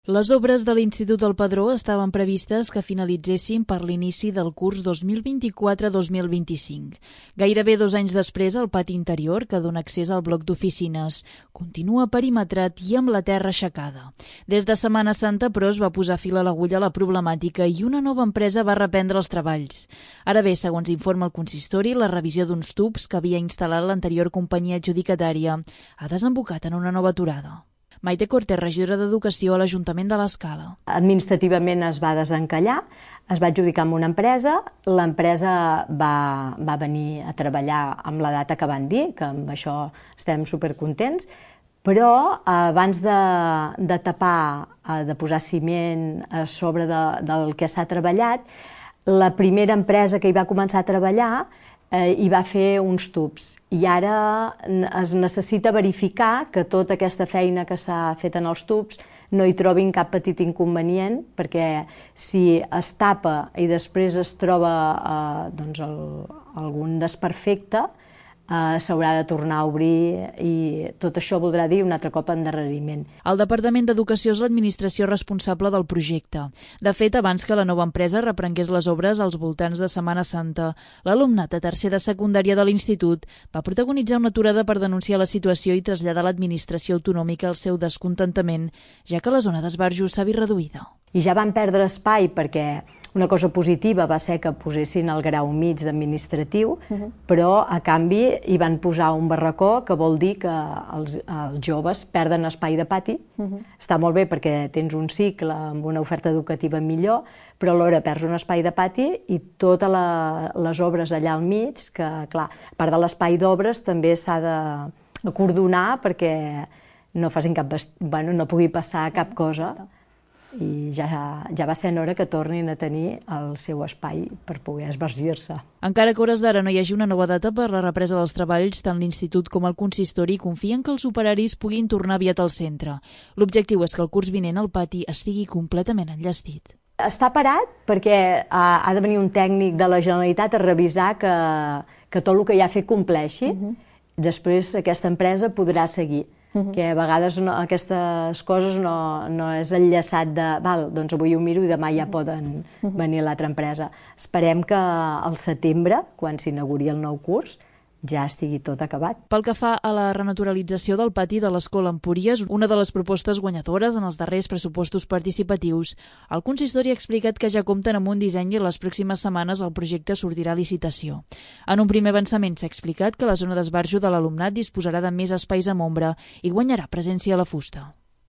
Les obres de l'Institut del Pedró estaven previstes que finalitzessin per l'inici del curs 2024-2025. Gairebé 2 anys després, el pati interior, que dona accés al bloc d'oficines, continua perimetrat i amb la terra aixecada. Des de Setmana Santa, però, es va posar fil a l'agulla a la problemàtica i una nova empresa va reprendre els treballs. Ara bé, segons informa el consistori, la revisió d'uns tubs que havia instal·lat l'anterior companyia adjudicatària ha desembocat en una nova aturada. Maite Cortés, regidora d'Educació a l'Ajuntament de l'Escala. Administrativament es va desencallar, es va adjudicar amb una empresa, l'empresa va venir a treballar amb la data que van dir, que amb això estem supercontents, però abans de tapar, de posar ciment a sobre del que s'ha treballat, la primera empresa que hi va començar a treballar hi va fer uns tubs i ara es necessita verificar que tota aquesta feina que s'ha fet en els tubs no hi trobin cap petit inconvenient, perquè si es tapa i després es troba algun desperfecte, s'haurà de tornar a obrir i tot això voldrà dir un altre cop endarreriment. El Departament d'Educació és l'administració responsable del projecte. De fet, abans que la nova empresa reprengués les obres als voltants de Setmana Santa, l'alumnat de tercer de secundària de l'institut va protagonitzar una aturada per denunciar la situació i traslladar a l'administració autonòmica el seu descontentament, ja que la zona d'esbarjo s'ha vist reduïda. I ja van perdre espai perquè una cosa positiva va ser que posessin el grau mig d'administratiu, però a canvi hi van posar un barracó, que vol dir que els joves perden espai de pati. Està molt bé perquè tens un cicle amb una oferta educativa millor, però alhora perds un espai de pati i totes les obres allà al mig, que clar, a part de l'espai d'obres també s'ha d'acordonar perquè no pugui passar cap cosa. I ja va sent hora que tornin a tenir el seu espai per poder esbargir-se. Encara que a hores d'ara no hi hagi una nova data per la represa dels treballs, tant l'Institut com el consistori confien que els operaris puguin tornar aviat al centre. L'objectiu és que el curs vinent el pati estigui completament enllestit. Està parat perquè ha de venir un tècnic de la Generalitat a revisar que tot el que ja ha fet compleixi. Després aquesta empresa podrà seguir. Que a vegades aquestes coses no és enllaçat de doncs avui ho miro i demà ja poden venir l'altra empresa. Esperem que al setembre, quan s'inauguri el nou curs, ja estigui tot acabat. Pel que fa a la renaturalització del pati de l'Escola Empúries, una de les propostes guanyadores en els darrers pressupostos participatius, el consistori ha explicat que ja compten amb un disseny i les pròximes setmanes el projecte sortirà a licitació. En un primer avançament s'ha explicat que la zona d'esbarjo de l'alumnat disposarà de més espais amb ombra i guanyarà presència a la fusta.